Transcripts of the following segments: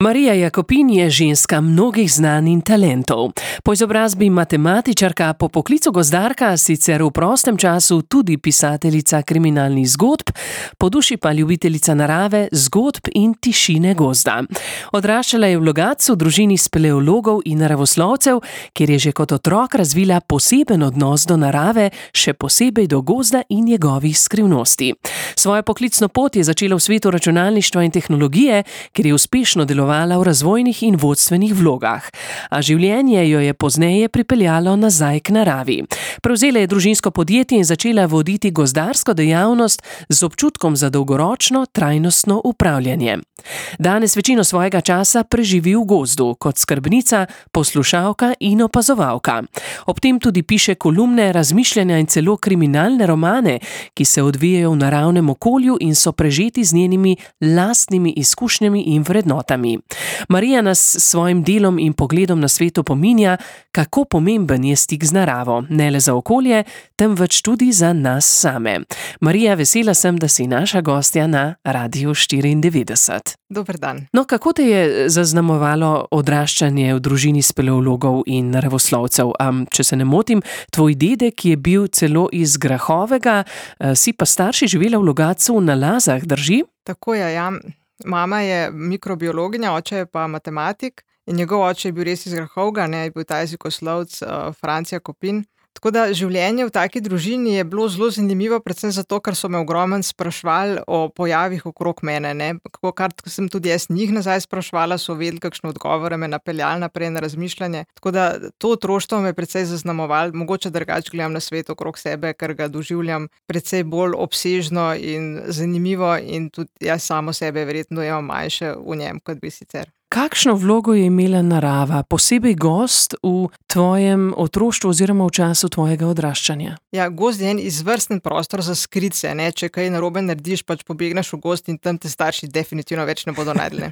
Marija Jakopin je ženska mnogih znanj in talentov. Po izobrazbi matematičarka, po poklicu gozdarka, sicer v prostem času tudi pisateljica kriminalnih zgodb, po duši pa ljubiteljica narave, zgodb in tišine gozda. Odraščala je v Logatcu, družini speleologov in naravoslovcev, kjer je že kot otrok razvila poseben odnos do narave, še posebej do gozda in njegovih skrivnosti. Svojo poklicno pot je začela v svetu računalništva in tehnologije, kjer je uspešno delovala v razvojnih in vodstvenih vlogah. A življenje jo je pozneje pripeljalo nazaj k naravi. Prevzela je družinsko podjetje in začela voditi gozdarsko dejavnost z občutkom za dolgoročno, trajnostno upravljanje. Danes večino svojega časa preživi v gozdu, kot skrbnica, poslušalka in opazovalka. Ob tem tudi piše kolumne, razmišljanja in celo kriminalne romane, ki se odvijajo v naravnem okolju in so prežeti z njenimi lastnimi izkušnjami in vrednotami. Marija nas s svojim delom in pogledom na svet opominja, kako pomemben je stik z naravo, ne le za okolje, temveč tudi za nas same. Marija, vesela sem, da si naša gostja na Radiu 94. Dober dan. No, kako te je zaznamovalo odraščanje v družini speleologov in naravoslovcev? Če se ne motim, tvoj dedek je bil celo iz Grahovega, si pa starši živela v Logatcu na Lazah, drži? Tako je, ja. Mama je mikrobiologinja, oče je pa matematik in njegov oče je bil res iz Grahovega, je bil ta jezikoslovec Franc Jakopin. Tako da življenje v taki družini je bilo zelo zanimivo, predvsem zato, ker so me ogromno sprašvali o pojavih okrog mene. Kar sem tudi jaz njih nazaj sprašvala, so vedeli kakšne odgovore, me napeljali naprej na razmišljanje. Tako da to otroštvo me je precej zaznamovalo, mogoče drugače gledam na svet okrog sebe, ker ga doživljam precej bolj obsežno in zanimivo in tudi jaz samo sebe verjetno imam manjše v njem, kot bi sicer. Kakšno vlogo je imela narava, posebej gozd v tvojem otroštvu oziroma v času tvojega odraščanja? Ja, gozd je en izvrsten prostor za skrit se, Če kaj narobe narediš, pobegneš v gozd in tam te starši definitivno več ne bodo našli.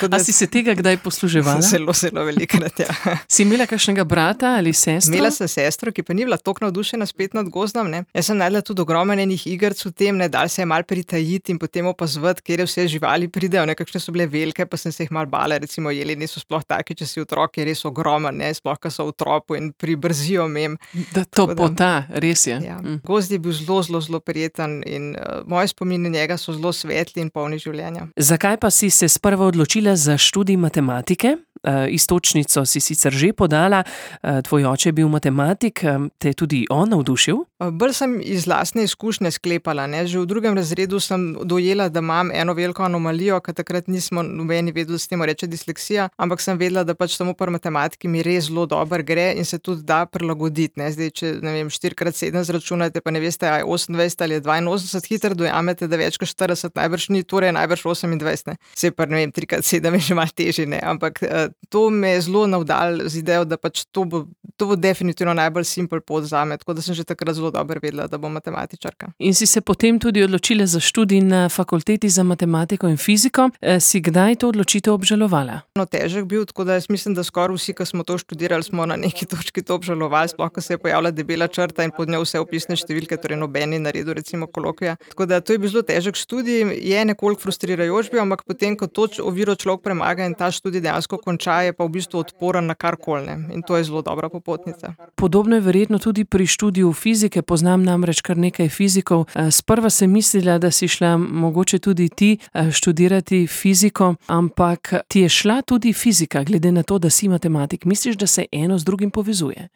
A si se tega kdaj posluževala? Zelo velikokrat, ja. Si imela kakšnega brata ali sestro? Imela sem sestro, ki pa ni bila toliko navdušena spet nad gozdom, Jaz sem našla tudi ogromno enih igrc v tem, dal se je malo pritajiti in potem opazovati, kjer vse živali pridejo, kakšne so bile velike, pa sem se jih malo bala, recimo jeleni so sploh taki, če si otrok, je res ogromen, sploh, ko so v tropu in pribrzijo mem. Da to pota, res je. Ja. Gozd je bil zelo prijeten in moji spomini njega so zelo svetli in polni življenja. Zakaj pa si se sprva odločila za študij matematike? Iztočnico si sicer že podala, tvoj oče je bil matematik, te je tudi on navdušil? Bolj sem iz lastne izkušnje sklepala, Že v 2. razredu sem dojela, da imam eno veliko anomalijo, ker takrat nismo nobeni vedeli, s tem reče disleksija, ampak sem vedela, da samo pri matematiki mi res zelo dobro gre in se tudi da prilagoditi. Zdaj, če 4x7 zračunate, pa ne veste, ali je 28 ali je 82, hitro dojamete, da več kot 40 najbrž ni, torej najbrž 28. Saj pa 3x7 je že malo težje, ampak to me je zelo navdalo z idejo, da to bo definitivno najbolj simpel pot zame, tako da sem že takrat zelo dobro vedela, da bom matematičarka. In si se potem tudi odločila za študij na fakulteti za matematiko in fiziko. Si kdaj to odločitev obžalovala? Težek bil, tako da jaz mislim, da skoraj vsi, ki smo to študirali, smo na neki točki to obžalovali, sploh ko se je pojavila debela črta in pod njo vse opisne številke, torej nobeni naredil recimo kolokvija. Tako da to je bil zelo težek študij, je nekoliko frustrirajoč bil, ampak potem, ko to oviro človek premaga in ta študij dejansko konča, je pa v bistvu odporen na karkoli, in to je zelo dobra popotnica. Podobno je verjetno tudi pri študiju fizike, poznam namreč kar nekaj fizikov. Sprva sem mislila, da si šla mogoče tudi ti študirati fiziko, ampak ti je šla tudi fizika, glede na to, da si matematik. Misliš, da se eno z drugim povezuje?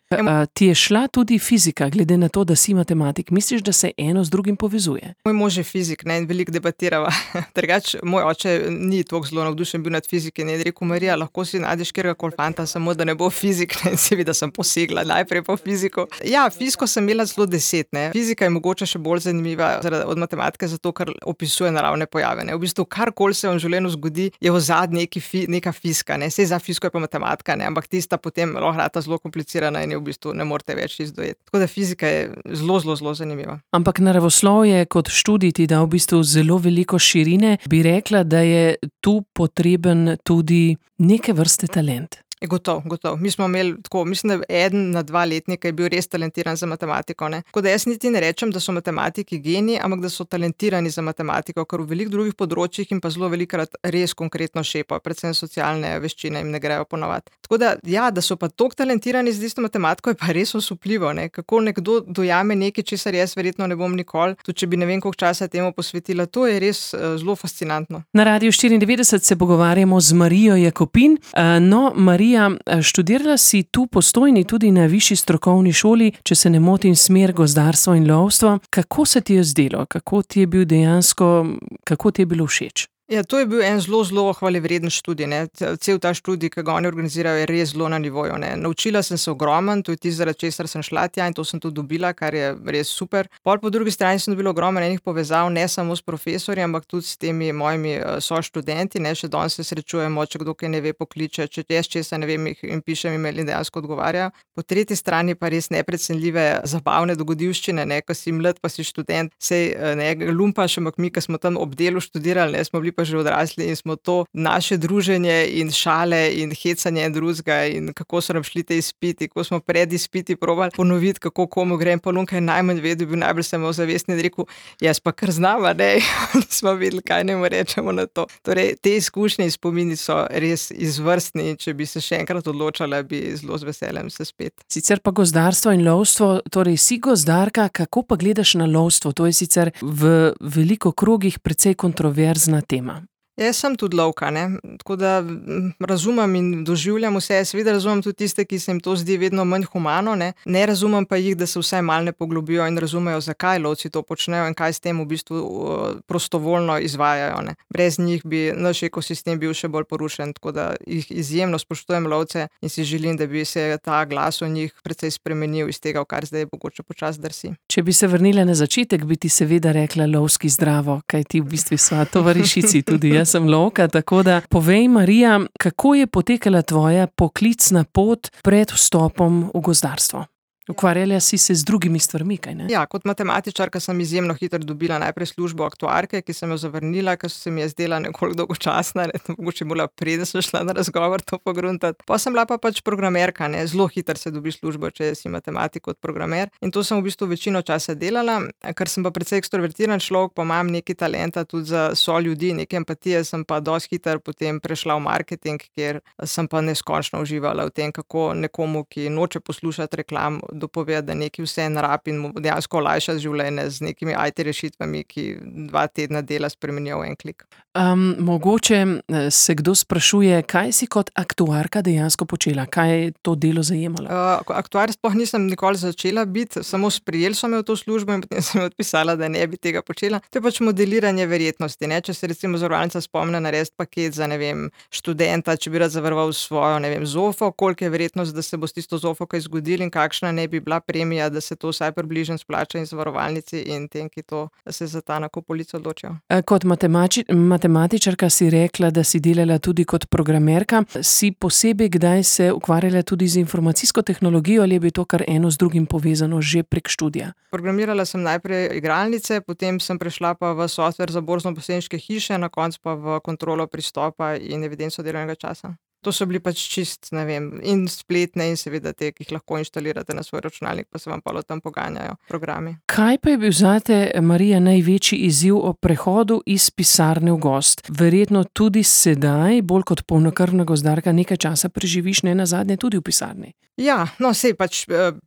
Ti je šla tudi fizika, glede na to, da si matematik. Misliš, da se eno z drugim povezuje? Moj mož je fizik, in veliko debatirava. Drugač, moj oče ni toliko zelo navdušen bil nad fizike, in je rekel: Marija, lahko si najdeš kjerkoli fanta, samo da ne bo fizik, in seveda sem posegla najprej po fiziko. Ja, fiziko sem imela zelo 10. Fizika je mogoče še bolj zanimiva od matematike, zato ker opisuje naravne pojave. V bistvu karkoli se v življenju zgodi, je v zadnji neka fizika. Saj za fiziko je pa matematika, ampak tista potem lahko rata zelo komplicirana in je v bistvu ne morete več izdojeti. Tako da fizika je zelo zanimiva. Ampak naravoslovje kot študij ti da v bistvu zelo veliko širine. Bi rekla, da je tu potreben tudi neke vrste talent? Gotovo, gotovo. Mi smo imeli tako, mislim, da 1 na 2 letnika je bil res talentiran za matematiko, ne. Tako da jaz niti ne rečem, da so matematiki geniji, ampak da so talentirani za matematiko, ker v veliko drugih področjih jim pa zelo velikokrat res konkretno šepa, predvsem socialne veščine jim ne grejo po navadi. Tako da, ja, da so pa toliko talentirani z isto matematiko, je pa res osupljivo, ne. Kako nekdo dojame nekaj, česar jaz verjetno ne bom nikoli, tudi če bi ne vem koliko časa temu posvetila, to je res zelo fascinantno. Na Radiu 94 se pogovarjamo z Marijo Jakopin. No, Marija, študirala si tu Postojni tudi na višji strokovni šoli, če se ne motim, smer gozdarstvo in lovstvo. Kako se ti je zdelo? Kako ti je bilo všeč? Ja, to je bil en zelo, zelo hvalevreden študij, ne. Cel ta študij, ki ga oni organizirajo, je res zelo na nivoju, ne. Naučila sem se ogromno, to je tisto, zaradi česar sem šla tja in to sem tudi dobila, kar je res super. Pol po drugi strani sem dobila ogromno enih povezav, ne samo s profesorji, ampak tudi s temi mojimi soštudenti, ne. Še danes se srečujemo, če kdo kaj ne ve, pokliče, če jaz česa ne vem, jim pišem e-mail in dejansko odgovarjajo. Po tretji strani pa res neprecenljive zabavne dogodivščine, ne, ko si mlad pa si študent, sej ne lumpaš, ampak mi, ki smo tam ob delu študirali, ne, smo bili pa že odrasli in smo to naše druženje in šale in hecanje en drugega in kako so nam šli te izpiti, ko smo pred izpiti probali ponoviti, kako komu gre, in pa Lunka je najmanj vedel, bil najbolj samozavesten in rekel, jaz pa kar znava, ne, nismo videli, kaj ne mu rečemo na to. Torej, te izkušnje in spomini so res izvrstni in če bi se še enkrat odločala, bi zelo z veseljem se spet. Sicer pa gozdarstvo in lovstvo, torej si gozdarka, kako pa gledaš na lovstvo? To je sicer v veliko krogih precej kontroverzna tema. Jaz sem tudi lovka, ne, tako da razumem in doživljam vse, seveda razumem tudi tiste, ki se jim to zdi vedno manj humano, ne razumem pa jih, da se vsaj malo ne poglobijo in razumejo, zakaj lovci to počnejo in kaj s tem v bistvu prostovoljno izvajajo, ne. Brez njih bi naš ekosistem bil še bolj porušen, tako da jih izjemno spoštujem lovce in si želim, da bi se ta glas o njih precej spremenil iz tega, v kar zdaj mogoče počasi drsi. Če bi se vrnila na začetek, bi ti seveda rekla lovski zdravo, kajti v bistvu sva tovarišici tudi. Jaz sem lovka, tako da povej, Marija, kako je potekala tvoja poklicna pot pred vstopom v gozdarstvo? Ukvarjala si se z drugimi stvarmi, kaj ne? Ja, kot matematičarka sem izjemno hitro dobila najprej službo aktuarke, ki sem jo zavrnila, ker se mi je zdela nekoliko dolgočasna, mogoče morala preden sem šla na razgovor to pogruntati. Pa sem bila pa pač programerka, ne, zelo hitro se dobi službo, če si matematik kot programer, in to sem v bistvu večino časa delala, ker sem pa precej ekstrovertiran človek, pa imam nekaj talenta tudi za soljudi, nekaj empatije, sem pa dosti hitro potem prešla v marketing, kjer sem pa neskončno uživala v tem, kako nekomu, ki noče poslušati reklam, dopovedati, da nekaj vseeno rab in mu dejansko olajšati življenje z nekimi IT rešitvami, ki 2 tedna dela spremenijo v en klik. Mogoče se kdo sprašuje, kaj si kot aktuarka dejansko počela? Kaj je to delo zajemalo? Aktuar sploh nisem nikoli začela biti, samo sprejeli so me v to službo in potem sem odpisala, da ne bi tega počela. To je pač modeliranje verjetnosti, ne. Če se recimo zavarovalnica spomne narediti paket za, ne vem, študenta, če bi rad zavaroval svojo, ne vem, zofo, koliko je verjetnost, da se bo s tisto zofo kaj zgodilo in kakšna ne bi bila premija, da se to vsaj približno splača in zavarovalnici in tem, ki to se za ta nakup polico odločijo. Kot matematičarka si rekla, da si delala tudi kot programerka. Si posebej kdaj se ukvarjala tudi z informacijsko tehnologijo ali je bilo to kar eno z drugim povezano že prek študija? Programirala sem najprej igralnice, potem sem prešla pa v software za borznoposredniške hiše, na koncu pa v kontrolo pristopa in evidenco delovnega časa. To so bili pač čist, ne vem, in spletne in seveda te, ki jih lahko inštalirate na svoj računalnik, pa se vam pa tam poganjajo programi. Kaj pa je bil zate, Marija, največji izziv ob prehodu iz pisarne v gozd? Verjetno tudi sedaj, bolj kot polnokrvna gozdarka, nekaj časa preživiš nenazadnje tudi v pisarni. Ja, no, sej pač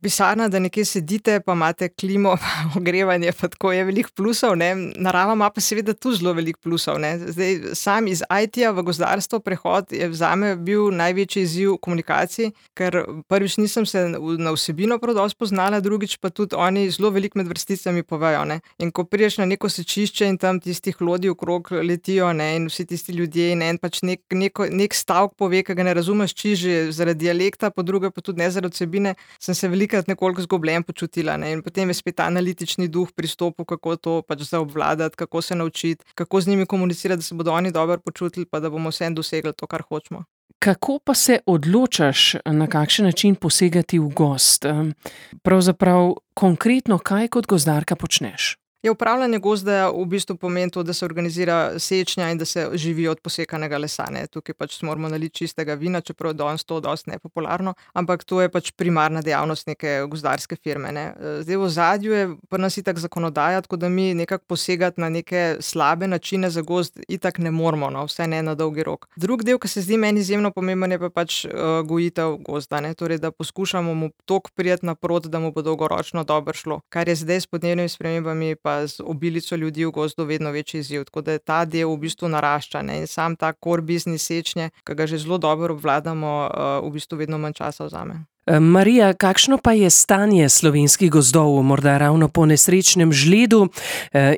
pisarna, da nekje sedite, pa imate klimo, ogrevanje, pa tako je veliko plusov, ne. Narava ima pa seveda tudi zelo veliko plusov, ne. Zdaj, sam iz IT-ja v gozdarstvo prehod je zame bil največji izziv komunikacij, ker prvič nisem se na vsebino prav dosti poznala, drugič pa tudi oni zelo veliko med vrsticami povejo, ne. In ko prideš na neko sečišče in tam tistih lodij okrog letijo, ne, in vsi tisti ljudje in en pač nek stavek pove, ki ga ne razumeš čisto že zaradi dialekta, po druge pa tudi ne zaradi vsebine, sem se velikokrat nekoliko izgubljen počutila, ne. In potem je spet analitični duh pristopil, kako to pač zaobvladati, kako se naučiti, kako z njimi komunicirati, da se bodo oni dobro počutili, pa da bomo vseeno dosegli to, kar hočemo. Kako pa se odločaš, na kakšen način posegati v gozd? Pravzaprav konkretno, kaj kot gozdarka počneš? Je upravljanje gozda v bistvu pomeni to, da se organizira sečnja in da se živi od posekanega lesa, ne. Tukaj pač si moramo naliti čistega vina, čeprav je danes to dosti nepopularno, ampak to je pač primarna dejavnost neke gozdarske firme, ne. Zdaj v ozadju je pri nas itak zakonodaja, tako da mi nekako posegati na neke slabe načine za gozd itak ne moremo, no, vsaj ne na dolgi rok. Drug del, ki se zdi meni izjemno pomemben, je pa pač gojitev gozda, ne. Torej, da poskušamo mu toliko priti naproti, da mu bo dolgoročno dobro šlo, kar je zdaj s podnebnimi spremembami pa z obilico ljudi v gozdu vedno večji izziv. Tako da ta del v bistvu narašča, ne. In sam ta core business sečnje, ki ga že zelo dobro obvladamo, v bistvu vedno manj časa vzame. Marija, kakšno pa je stanje slovenskih gozdov, morda ravno po nesrečnem žledu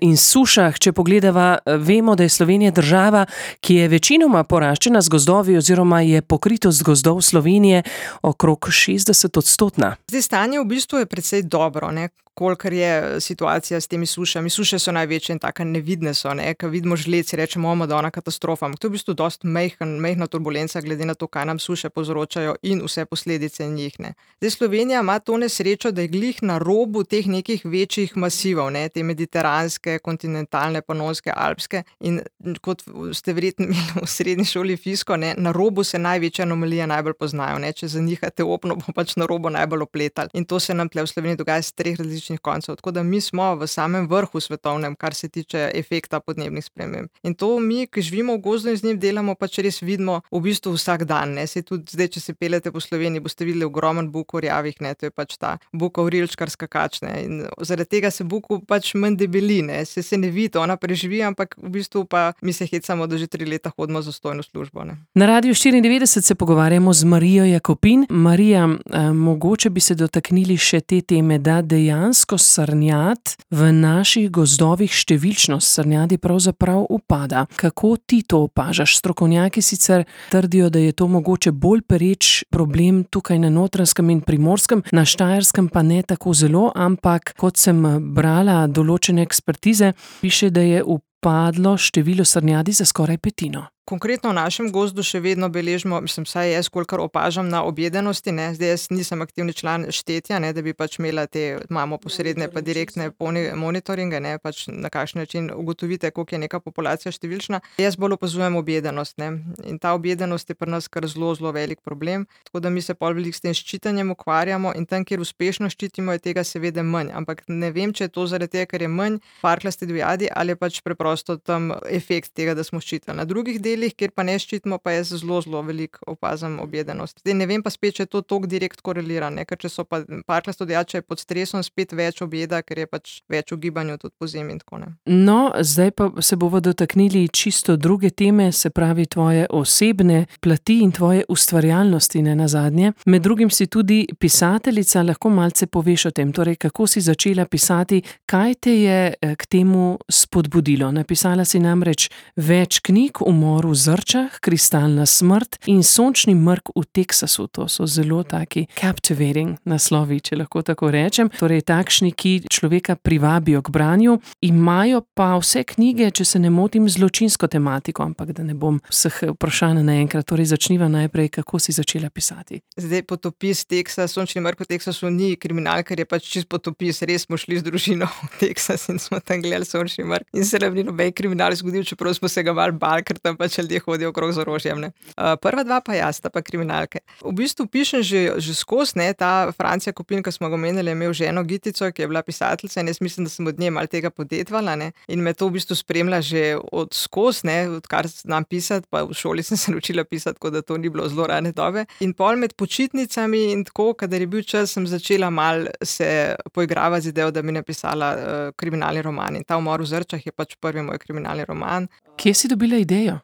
in sušah? Če pogledava, vemo, da je Slovenija država, ki je večinoma poraščena z gozdovi oziroma je pokritost gozdov Slovenije okrog 60-odstotna. Zdaj, stanje v bistvu je precej dobro, ne, kolikor je situacija s temi sušami. Suše so največje in taka nevidne so, ne, ko vidimo žled, si rečemo, Madonna, katastrofa. To je v bistvu dosti majhna turbulenca, glede na to, kaj nam suše povzročajo in vse posledice njih, ne. Zdaj, Slovenija ima to nesrečo, da je glih na robu teh nekih večjih masivov, ne, te mediteranske, kontinentalne, panonske, alpske, in kot ste verjetno imeli v srednji šoli fiziko, ne, na robu se največje anomalije najbolj poznajo, ne. Če zanihate opno, bo pač na robu najbolj opletalo. In to se nam tle v Sloveniji dogaja s 3 različnih koncev. Tako da mi smo v samem vrhu svetovnem, kar se tiče efekta podnebnih sprememb. In to mi, ki živimo v gozdu in z njim delamo, pač res vidimo v bistvu vsak dan, ne. Saj tudi zdaj, če se peljete po Sloveniji, boste videli ogromen buk orjavih, ne. To je pač ta bukov rilčkar skakač, ne. In zaradi tega se buku pač manj debeli, ne. Se ne vidi, ona preživi, ampak v bistvu pa mi se hecamo, da že 3 leta hodimo zastojno službo, ne. Na Radiu 94 se pogovarjamo z Marijo Jakopin. Marija, mogoče bi se dotaknili še te teme, da dejansko srnjad v naših gozdovih številčnost srnjadi pravzaprav upada. Kako ti to opažaš? Strokovnjaki sicer trdijo, da je to mogoče bolj pereč problem tukaj na Notranjskem in Primorskem, na Štajerskem pa ne tako zelo, ampak kot sem brala določene ekspertize, piše, da je upadlo število srnjadi za skoraj 1/5. Konkretno v našem gozdu še vedno beležimo, vsaj jaz, kolikor opažam, na objedenosti, ne. Zdaj jaz nisem aktivni član štetja, ne, da bi pač imela imamo posredne pa direktne monitoringe, ne, pač na kakšen način ugotovite, koliko je neka populacija številčna. Jaz bolj opazujem objedenost, ne. In ta objedenost je pri nas kar zelo, zelo velik problem, tako da mi se pol veliko s tem ščitanjem ukvarjamo in tam, kjer uspešno ščitimo, je tega seveda manj. Ampak ne vem, če je to zaradi tega, ker je manj parklaste divjadi ali je pač preprosto tam efekt tega, da smo ščitili. Na drugih kjer pa ne ščitimo, pa jaz zelo, zelo veliko opazim objedenost. Zdaj ne vem pa spet, če je to toliko direkt korelira, ne, ker če so pa parklasto divjad, če je pod stresom, spet več objeda, ker je pač več v gibanju tudi pozimi in tako, ne. No, zdaj pa se bomo dotaknili čisto druge teme, se pravi tvoje osebne plati in tvoje ustvarjalnosti, nenazadnje. Med drugim si tudi pisateljica, lahko malce poveš o tem, torej kako si začela pisati, kaj te je k temu spodbudilo. Napisala si namreč več knjig, Umor v Zrčah, Kristalna smrt in Sončni mrk v Teksasu. To so zelo taki captivating naslovi, če lahko tako rečem. Torej takšni, ki človeka privabijo k branju. Imajo pa vse knjige, če se ne motim, zločinsko tematiko, ampak da ne bom vseh vprašanj naenkrat. Torej začniva najprej, kako si začela pisati. Zdaj potopis Teksas, Sončni mrk v Teksasu ni kriminal, ker je pač čist potopis. Res smo šli z družino v Teksas in smo tam gledali Sončni mrk. In se nam ni noben kriminal zgodil, čeprav smo se ga malo bali, ker tam pač ljudje hodijo okrog z orožjem, ne. Prva dva pa sta pa kriminalke. V bistvu pišem že skozi, ne, ta Francija Kopin, ki smo ga omenili, je imel ženo Gitico, ki je bila pisateljica in jaz mislim, da sem od nje malo tega podedvala, ne. In me to v bistvu spremlja že od skozi, ne, odkar znam pisati, pa v šoli sem se naučila pisati, tako da to ni bilo zelo rane dobe. In pol med počitnicami in tako, kadar je bil čas, sem začela malo se poigravati z idejo, da bi napisala kriminalni roman. In ta Umor v Zrčah je pač prvi moj kriminalni roman. Kje si dobila idejo?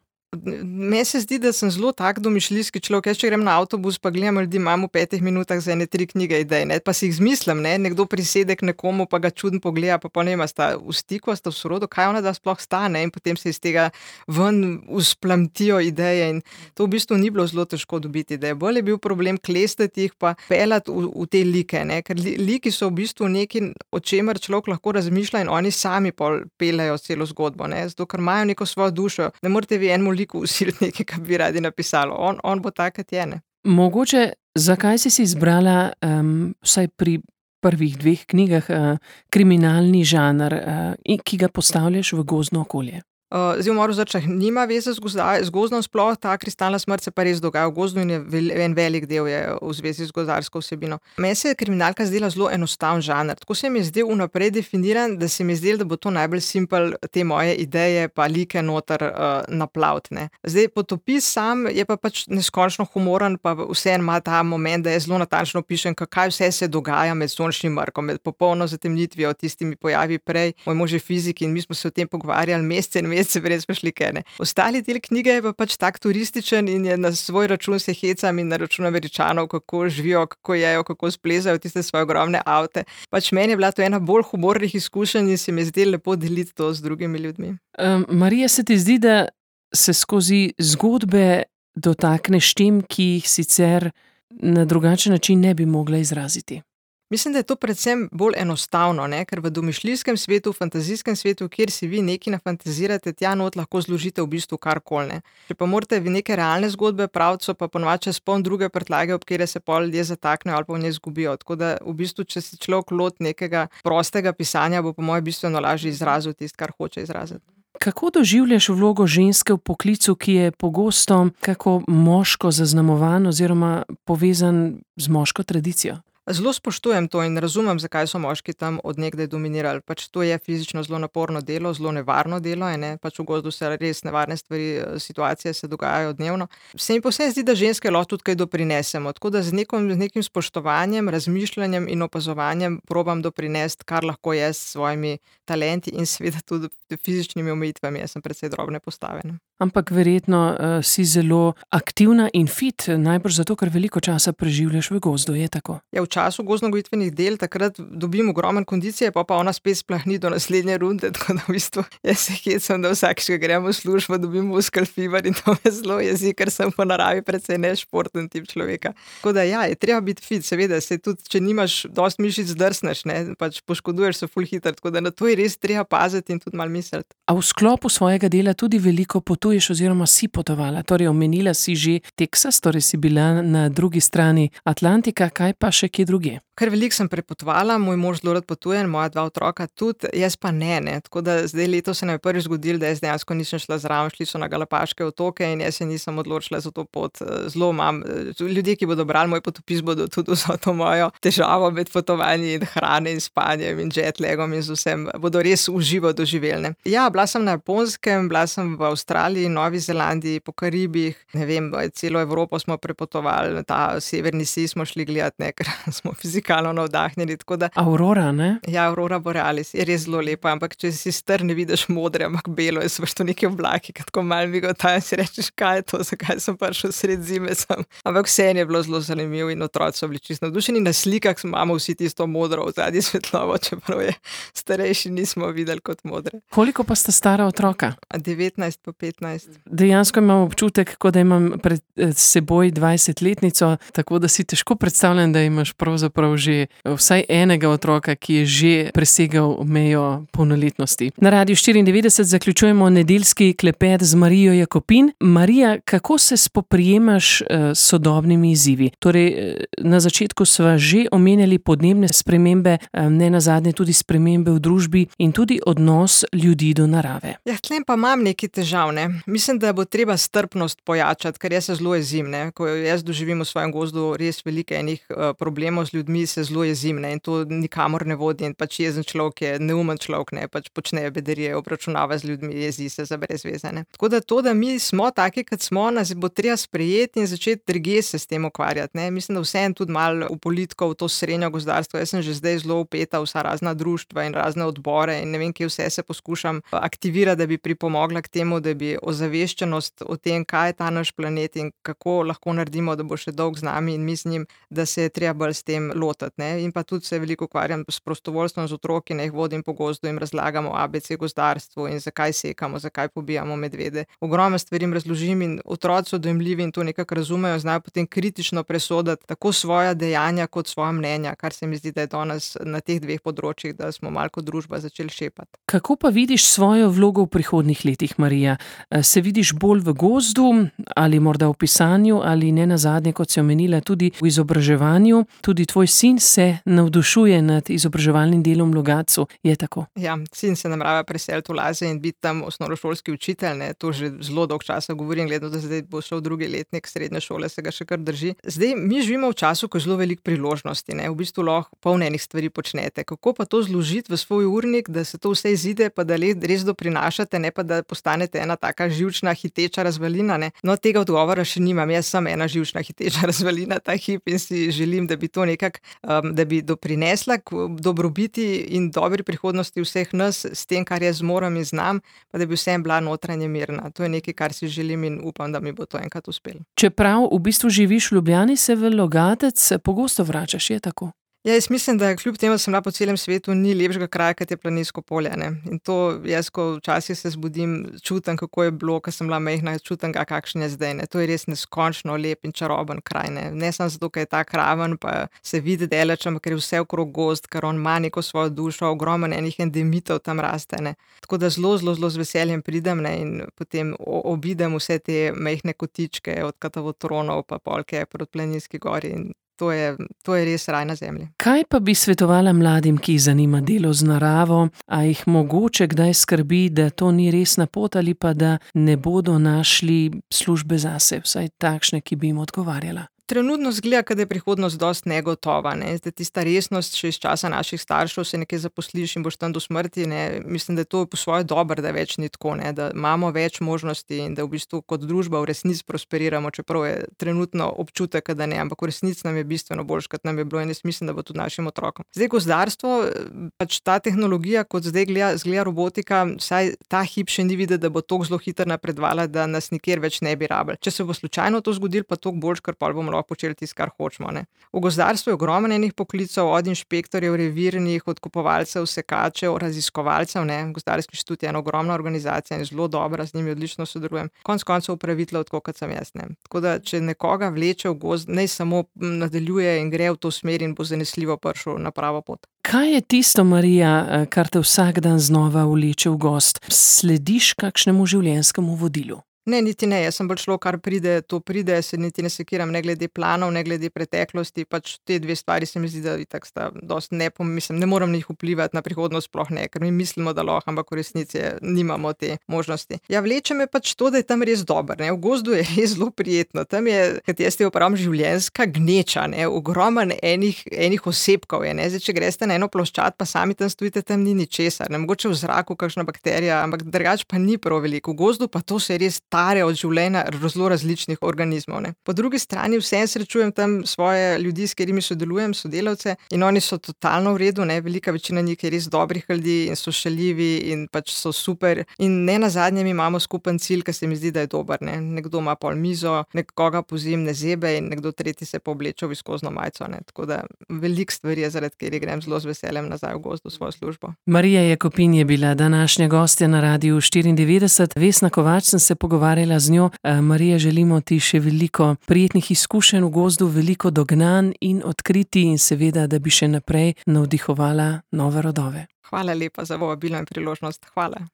Meni se zdi, da sem zelo tak domišljijski človek. Jaz, če grem na avtobus, pa gledam ljudi, imam v 5 minutah za ene 3 knjige idej, ne, pa si jih izmislim, ne, nekdo prisede k nekomu, pa ga čudno pogleda, pa ne vem, sta v stiku, sta v sorodu, kaj ona da sploh sta, ne, in potem se iz tega ven vzplamtijo ideje in to v bistvu ni bilo zelo težko dobiti ideje. Bolj je bil problem klestiti jih pa peljati v te like, ne, ker liki so v bistvu nekaj, o čemer človek lahko razmišlja in oni sami pol peljejo celo zgodbo, ne, zato ker imajo neko svojo dušo. Ne morete vi enemu usiliti nekaj, kar bi radi napisalo. On bo tak, kot je, ne. Mogoče, zakaj si izbrala vsaj pri prvih dveh knjigah, kriminalni žanr, ki ga postavljaš v gozdno okolje. Zdaj v Moru zrčah nima veze z gozdom sploh, ta kristalna smrt se pa res dogaja v gozdu in je en velik del je v zvezi z gozdarsko vsebino. Meni se je kriminalka zdela zelo enostaven žanr, tako se mi je zdel vnaprej definiran, da se mi je zdelo, da bo to najbolj simpel te moje ideje pa like noter naplaviti, ne. Zdaj potopis sam je pa pač neskončno humoren, pa vseeno ima ta moment, da je zelo natančno opišen, kaj vse se dogaja med sončnim mrkom, med popolno zatemnitvijo, tistimi pojavi prej. Moj mož je fizik in mi smo se o tem pogovarjali mesece in se brez prišlikene. Ostali del knjige je pa pač tak turističen in je na svoj račun se hecam in na račun Američanov, kako živijo, kako jejo, kako splezajo tiste svoje ogromne avte. Pač meni je bila to ena bolj humornih izkušenj in se mi je zdelo lepo deliti to z drugimi ljudmi. Marija, se ti zdi, da se skozi zgodbe dotakneš tem, ki jih sicer na drugačen način ne bi mogla izraziti? Mislim, da je to predvsem bolj enostavno, ne? Ker v domišljijskem svetu, v fantazijskem svetu, kjer si vi nekaj nafantazirate, tja not lahko zložite v bistvu karkoli, ne. Če pa morate v neke realne zgodbe praviti, so pa ponovadi čez poln druge prtljage, ob katere se pol ljudje zataknejo ali pa v njej izgubijo. Tako da v bistvu, če se človek loti nekega prostega pisanja, bo po mojem bistveno lažje izrazil tisto, kar hoče izraziti. Kako doživljaš vlogo ženske v poklicu, ki je pogosto kako moško zaznamovan oziroma povezan z moško tradicijo? Zelo spoštujem to in razumem, zakaj so moški tam od nekdaj dominirali. Pač to je fizično zelo naporno delo, zelo nevarno delo, ne. Pač v gozdu se res nevarne stvari, situacije se dogajajo dnevno. Se mi povsem zdi, da ženske lahko tudi kaj doprinesemo, tako da z nekim spoštovanjem, razmišljanjem in opazovanjem probam doprinesti, kar lahko jaz s svojimi talenti in seveda tudi fizičnimi omejitvami, jaz sem precej drobne postave, ne. Ampak verjetno si zelo aktivna in fit, najbrž zato, ker veliko časa preživljaš v gozdu, je tako? Ja, v času gozdno-gojitvenih del takrat dobim ogromen kondicije, pa ona spet splahni do naslednje runde, tako da v bistvu jaz se hecam, da vsakič, ko grem v službo, dobim muskel fever in to me zelo jezi, ker sem po naravi precej nešporten tip človeka. Tako da ja, je treba biti fit, seveda, se tudi, če nimaš dosti mišic, zdrsneš, ne, pač poškoduješ se ful hitro, tako da na to je res treba paziti in tudi malo misliti. A v sklopu svojega dela tudi veliko potuješ oziroma si potovala? Torej omenila si že Teksas, torej si bila na drugi strani Atlantika, kaj pa še kje drugje? Kar veliko sem prepotovala, moj mož zelo rad potuje, moja dva otroka tudi, jaz pa ne. Tako da zdaj letos se nam je prvič zgodilo, da jaz dejansko nisem šla zraven, šli so na Galapaške otoke in jaz se nisem odločila za to pot. Zelo imam, ljudje, ki bodo brali moj potopis, bodo tudi vso to mojo težavo med potovanji in hrane in spanjem in jetlagom in z vsem, bodo res v živo doživeli, ne. Ja, bila sem na Japonskem, bila sem v Avstraliji, Novi Zelandiji, po Karibih, ne vem, celo Evropo smo prepotovali, na ta severni sij smo šli gledat, ne, ker smo fizikalno navdahnjeni, tako da. Aurora, ne? Ja, Aurora Borealis je res zelo lepa, ampak če si strm, ne vidiš modre, ampak belo, so pač to neki oblaki, ki tako malo migotajo in si rečeš, kaj je to, zakaj sem prišel sredi zime sem. Ampak vseeno je bilo zelo zanimivo in otroci so bili čisto navdušeni. Na slikah imamo vsi tisto modro v zadnji svetlobo, čeprav je starejši nismo videli kot modre. Koliko pa sta stara otroka? 19 pa 15. Dejansko imam občutek, kot da imam pred seboj 20-letnico, tako da si težko predstavljam, da imaš pravzaprav že vsaj enega otroka, ki je že presegal mejo polnoletnosti. Na Radiu 94 zaključujemo nedeljski klepet z Marijo Jakopin. Marija, kako se spoprijemaš s sodobnimi izzivi? Torej, na začetku sva že omenjali podnebne spremembe, ne nazadnje tudi spremembe v družbi in tudi odnos ljudi do narave. Ja, tlem pa imam nekaj težav, ne. Mislim, da bo treba strpnost pojačati, ker jaz se zelo jezim, ne. Ko jaz doživim v svojem gozdu res veliko enih problemov z ljudmi, se zelo jezim, ne, in to nikamor ne vodi in pač jezen človek je neumen človek, ne, pač počne bedarije, obračunava z ljudmi, jezi se za brez veze, ne. Tako da to, da mi smo taki, kot smo, nas bo treba sprejeti in začeti drugje se s tem ukvarjati, ne. Mislim, da vseeno tudi malo v politiko, v to srednjo gozdarstvo, jaz sem že zdaj zelo vpeta v vsa razna društva in razne odbore in ne vem, kje vse se poskušam aktivirati, da bi pripomogla k temu, da bi ozaveščenost o tem, kaj je ta naš planet in kako lahko naredimo, da bo še dolgo z nami in mi z njim, da se je treba bolj s tem lotiti, ne. In pa tudi se veliko ukvarjam s prostovoljstvom z otroki, ne, jih vodim po gozdu in razlagam o ABC gozdarstvu in zakaj sekamo, zakaj pobijamo medvede. Ogromno stvari jim razložim in otroci so dojemljivi in to nekako razumejo, znajo potem kritično presoditi tako svoja dejanja kot svoja mnenja, kar se mi zdi, da je danes na teh dveh področjih, da smo malo kot družba začeli šepati. Kako pa vidiš svojo vlogo v prihodnjih letih, Marija? Se vidiš bolj v gozdu ali morda v pisanju ali ne nazadnje, kot si omenila, tudi v izobraževanju. Tudi tvoj sin se navdušuje nad izobraževalnim delom v Logatcu. Je tako? Ja, sin se namerava preseliti v Lazje in biti tam osnovnošolski učitelj, ne. To že zelo dolgo časa govorim, glede na to, da zdaj bo šel drugi letnik srednje šole, se ga še kar drži. Zdaj, mi živimo v času, ko je zelo veliko priložnosti, ne. V bistvu lahko polno enih stvari počnete. Kako pa to zložiti v svoj urnik, da se to vse izide, pa da res doprinašate, ne pa da postanete ena taka živčna, hiteča razvalina, ne. No, tega odgovora še nimam. Jaz sem ena živčna, hiteča razvalina ta hip in si želim, da bi to nekako, da bi doprinesla k dobrobiti in dobri prihodnosti vseh nas s tem, kar jaz zmorem in znam, pa da bi vseeno bila notranje mirna. To je nekaj, kar si želim in upam, da mi bo to enkrat uspelo. Čeprav v bistvu živiš v Ljubljani, se v Logatec pogosto vračaš, je tako? Ja, jaz mislim, da kljub temu, da sem bila po celem svetu, ni lepšega kraja, kot je Planinsko polje, ne. In to jaz, ko včasih se zbudim, čutim, kako je bilo, ko sem bila majhna, čutim ga, kakšen je zdaj, ne. To je res neskončno lep in čaroben kraj, ne. Ne samo zato, ker je tako raven, pa se vidi daleč, ampak ker je vse okrog gozd, ker on ima neko svojo dušo, ogromno enih endemitov tam raste, ne. Tako da zelo, zelo, zelo z veseljem pridem, ne, in potem obidem vse te majhne kotičke od Katavotronov pa polke proti Planinski gori in to je res raj na zemlji. Kaj pa bi svetovala mladim, ki jih zanima delo z naravo, a jih mogoče kdaj skrbi, da to ni resna pot ali pa da ne bodo našli službe zase, vsaj takšne, ki bi jim odgovarjala? Trenutno izgleda, kot da je prihodnost dosti negotova, ne. Zdaj tista resnost še iz časa naših staršev, se nekje zaposliš in boš tam do smrti, ne. Mislim, da je to po svoje dobro, da več ni tako, ne, da imamo več možnosti in da v bistvu kot družba v resnici prosperiramo, čeprav je trenutno občutek, da ne, ampak v resnici nam je bistveno boljše, kot nam je bilo in jaz mislim, da bo tudi našim otrokom. Zdaj gozdarstvo, pač ta tehnologija, kot zdaj izgleda robotika, vsaj ta hip še ni videti, da bo tako zelo hitro napredovala, da nas nikjer več ne bi rabili. Če se bo slučajno to zgodilo, pa toliko boljše, ker pol bomo počeli tisto, kar hočemo, ne. V gozdarstvu je ogromno enih poklicev, od inšpektorjev, revirnih, odkupovalcev, sekačev, raziskovalcev, ne. Gozdarski inštitut je ena ogromna organizacija in zelo dobra, z njimi odlično sodelujem. Konec koncev upraviteljev, tako kot sem jaz, ne. Tako da, če nekoga vleče v gozd, naj samo nadaljuje in gre v to smer in bo zanesljivo prišel na pravo pot. Kaj je tisto, Marija, kar te vsak dan znova vleče v gozd? Slediš kakšnemu življenjskemu vodilu? Ne, niti ne, jaz sem bolj človek, kar pride, to pride, se niti ne sekiram, ne glede planov, ne glede preteklosti, pač te dve stvari se mi zdi, da itak sta dosti ne morem na njih vplivati, na prihodnost sploh ne, ker mi mislimo, da lahko, ampak v resnici nimamo te možnosti. Ja, vleče me pač to, da je tam res dobro, ne, v gozdu je res zelo prijetno, tam je, kot jaz te uporabljam, življenjska gneča, ne, ogromno enih osebkov je, ne, zdaj, če greste na eno ploščad, pa sami tam stojite, tam ni ničesar, ne, mogoče v zraku kakšna bakterija, ampak drugače pa ni prav veliko, v gozdu pa to se res tare od življenja zelo različnih organizmov, ne. Po drugi strani vseeno srečujem tam svoje ljudi, s katerimi sodelujem, sodelavce, in oni so totalno v redu, ne, velika večina njih je res dobrih ljudi in so šaljivi in pač so super in nenazadnje mi imamo skupen cilj, ki se mi zdi, da je dober, ne. Nekdo ima pol mizo, nekoga pozimi ne zebe in nekdo tretji se pa obleče v viskozno majico, ne, tako da veliko stvari je, zaradi katerih grem zelo z veseljem nazaj v gozd v svojo službo. Marija Jakopin je bila današnja gostja na Radiu 94. Vesna Kovač, sem se pogovarjala z njo. Marija, želimo ti še veliko prijetnih izkušenj v gozdu, veliko dognanj in odkritij in seveda, da bi še naprej navdihovala nove rodove. Hvala lepa za vabilo in priložnost. Hvala.